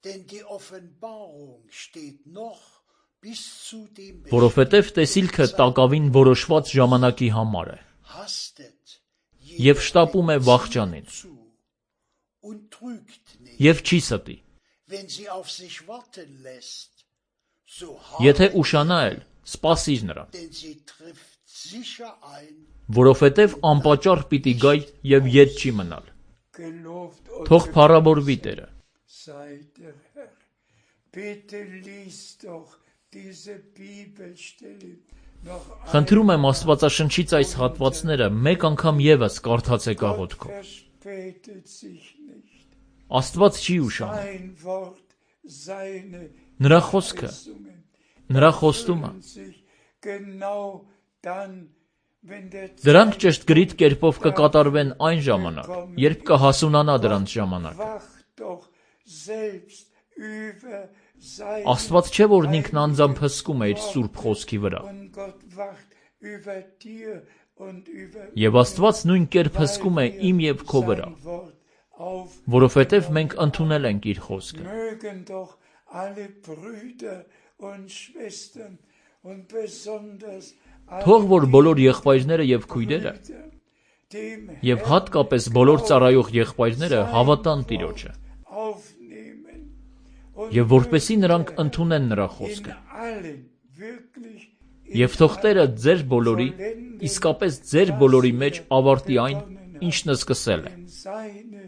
denn die Offenbarung steht noch bis zu dem Որովհետև տեսիլքը տակավին որոշված ժամանակի համար է hastet եւ շտապում է վախճանին zu und trügt nicht. եւ չի ստի։ Wenn sie auf sich warten lässt, so Եթե habe ուշանա էլ, սպասիր նրան, denn sie trifft sicher ein. որովհետև անպատճառ պիտի գայ եւ ետ չի մնալ։ Gelobt und Թող փառաբորվի Տերը։ sei der Herr. Bitte lies doch diese Bibelstelle noch Խնդրում եմ Աստվածաշնչից այս հատվածները մեկ անգամ եւս կարդացեք աղոթքով։ verspätet sich nicht. Աստված չի ուշանում։ Sein Wort, seine Նրա խոսքը, Verheißungen նրա խոստումը, erfüllen sich genau dann, wenn der դրանք ճշտգրիտ կերպով կկատարվեն այն ժամանակ, երբ կհասունանա դրանց ժամանակը։ Wacht doch selbst über sein Աստված չէ որ ինքն անձամբ հսկում է իր սուրբ խոսքի վրա։ und Gott wacht über dir und über Եվ Աստված նույն կերպ հսկում է իմ եւ քո վրա, sein Wort auf. որովհետև մենք ընդունել ենք իր խոսքը։ Mögen doch alle Brüder und Schwestern und besonders Թող որ բոլոր եղբայրները եւ քույրերը dem եւ հատկապես բոլոր ծառայող եղբայրները հավատան Տիրոջը aufnehmen und եւ որպեսի նրանք ընդունեն նրա խոսքը։ in allen wirklich Եվ թող Տերը ձեր բոլորի, իսկապես ձեր բոլորի մեջ ավարտի այն, ինչն սկսել է։ in seine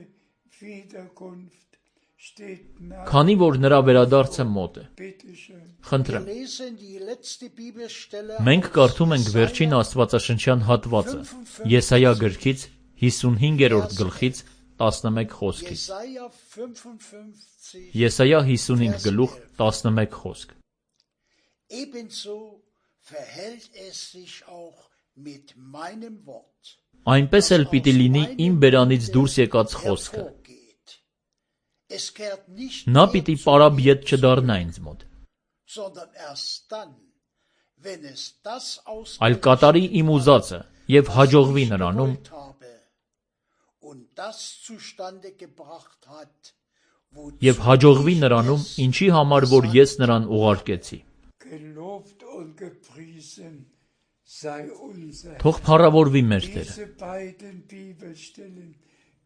Wiederkunft steht nah. Քանի որ նրա վերադարձը մոտ է։ Bitte schön. Խնդրեմ։ Wir lesen die letzte Bibelstelle Մենք aus կարդում ենք Jesaja վերջին Աստվածաշնչյան հատվածը Եսայա գրքից հիսունհինգերորդ գլխից տասնմեկ խոսքից։ Jesaja fünfundfünfzig. Եսայա հիսունհինգ գլուխ տասնմեկ խոսք։ Ebenso verhält es sich auch mit meinem Wort. Այնպես էլ պիտի լինի իմ բերանից դուրս եկած խոսքը։ hervorgeht. Es kehrt nicht Նա mehr պիտի zu պարապ mir ետ zurück, չդառնա ինձ մոտ, sondern erst dann, wenn es das այլ կատարի իմ ուզածը եւ հաջողվի նրանում, gewollt habe und das zustande gebracht hat, wozu եւ հաջողվի ich նրանում, es ինչի համար որ ես նրան ուղարկեցի։ Gelobt und gepriesen sei unser Թող փառավորվի մեր Տերը։ Diese beiden Bibelstellen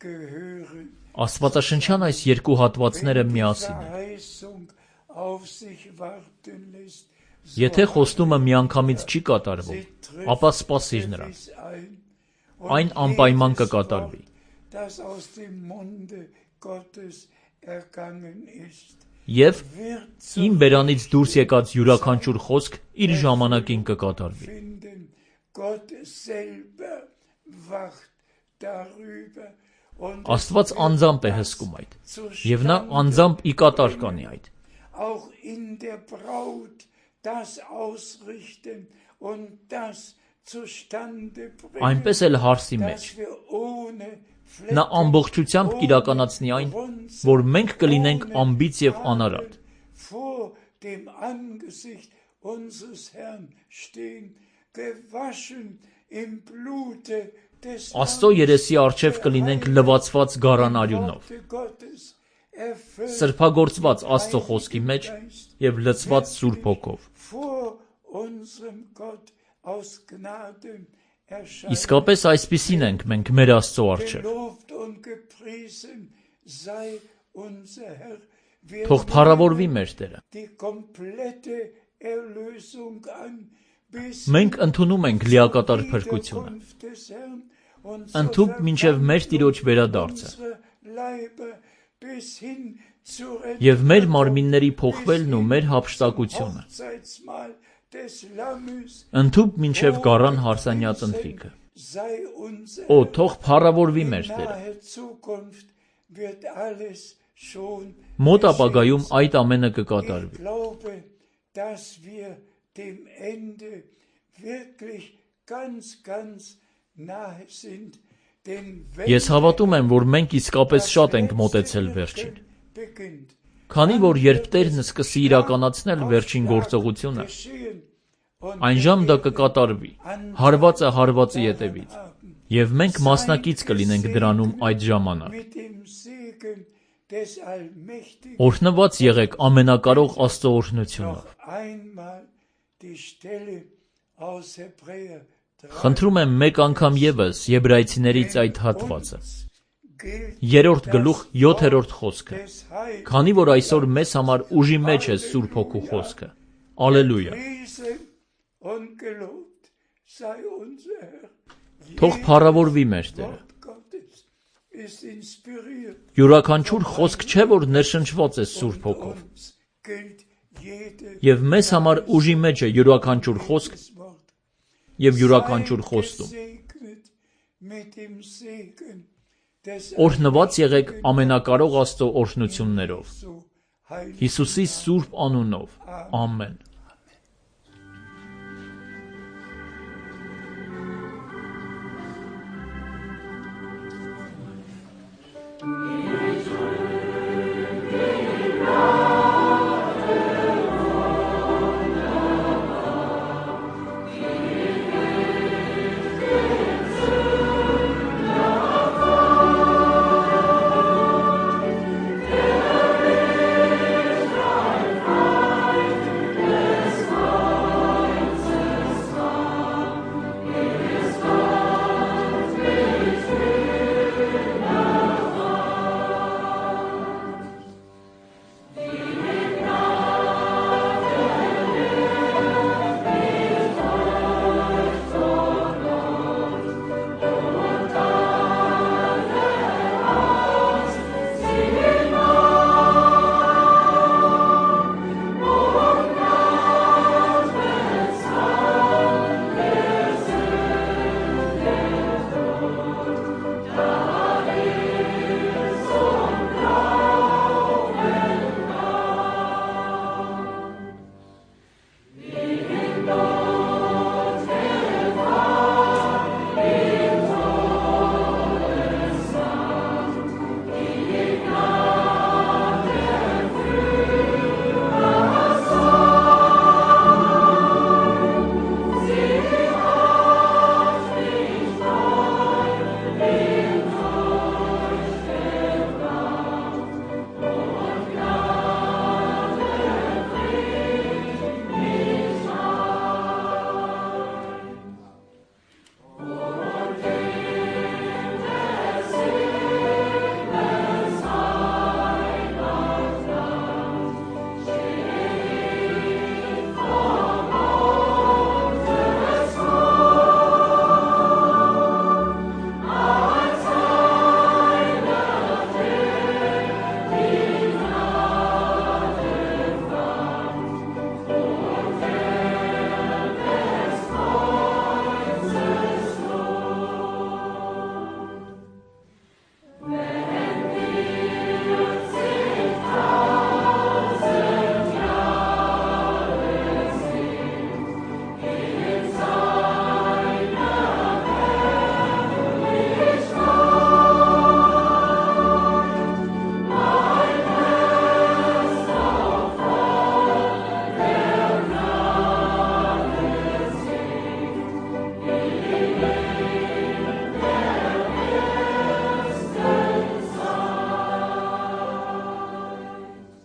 gehören Աստվածաշնչյան այս երկու հատվածները միասին են։ Verheißung auf sich warten lässt. Եթե խոստումը միանգամից չի կատարվում, ապա սպասիր նրան։ Այն անպայման կկատարվի։ Das aus dem Munde Gottes ergangen ist, Եվ wird իմ բերանից դուրս եկած յուրաքանչյուր խոսք իր ժամանակին կկատարվի։ finden. Gott selber wacht darüber und Աստված անձամբ է հսկում այդ, եւ նա անձամբ ի կատար կանի այդ։ auch in der Braut das ausrichten und das zustande bringen, Այնպես էլ հարսի մեջ dass wir ohne նա ամբողջությամբ կիրականացնի այն, որ մենք կլինենք ամբից եւ անարատ, vor dem Angesicht unseres Herrn stehen, gewaschen im Blute des Աստծո երեսի առջև կլինենք լվացված գարան արյունով, Gottes, erfüllt սրբագործված Աստծո խոսքի մեջ եւ լցված Սուրբ Հոգով։ vor unserem Gott aus Gnaden erscheint. Իսկապես այսպիսին ենք մենք մեր Աստծո առջև։ Gelobt und gepriesen sei unser Herr. Wir Թող փառավորվի մեր Տերը։ die komplette Erlösung an, bis Մենք ընդունում ենք լիակատար փրկությունը, Wiederkunft des Herrn und ընդհուպ մինչև մեր Տիրոջ վերադարձը, unsere Leiber bis hin zur եւ մեր մարմինների փոխվելն ու մեր հափշտակությունը, Hochzeitsmahl des Lammes ընդհուպ մինչև գարան հարսանյաց ընթրիքը։ sei unser Օ, թող փառավորվի մեր Տերը։ nahe Zukunft wird alles schon Մոտ ապագայում այդ ամենը Ich կկատարվի։ glaube, dass wir dem Ende wirklich ganz, ganz nahe sind. Denn wenn Ես հավատում եմ, որ մենք իսկապես շատ ենք մոտեցել վերջին։ beginnt, Քանի որ երբ Տերն սկսի իրականացնել վերջին գործողությունը, geschehen und այն ժամ դա կկատարվի, հարվածը հարվածի ետևից, եւ մենք մասնակից կլինենք դրանում այդ ժամանակ։ mit dem Segen des Allmächtigen Օրհնված եղեք ամենակարող Աստծո օրհնությունով։ noch einmal die Stelle aus Hebräer drei Խնդրում եմ մեկ անգամ եւս Եբրայեցիներից այդ հատվածը, gilt երրորդ գլուխ յոթերորդ խոսքը, des Heils. քանի որ այսօր մեզ համար ուժի մեջ է Սուրբ Հոգու խոսքը։ Ալելույա։ Priesen und gelobt sei unser Herr. Թող փառավորվի մեր Տերը։ Wort Gottes ist inspiriert. Յուրաքանչյուր խոսք չէ, որ ներշնչված է Սուրբ Հոգով, Uns gilt jede եւ մեզ համար ուժի մեջ է յուրաքանչյուր խոսք Wort. եւ յուրաքանչյուր խոստում։ Gesegnet mit dem Segen des Օրհնված եղեք ամենակարող Աստծո օրհնություններով։ Jesu Heil. Հիսուսի սուրբ անունով։ Ամեն։ Yeah.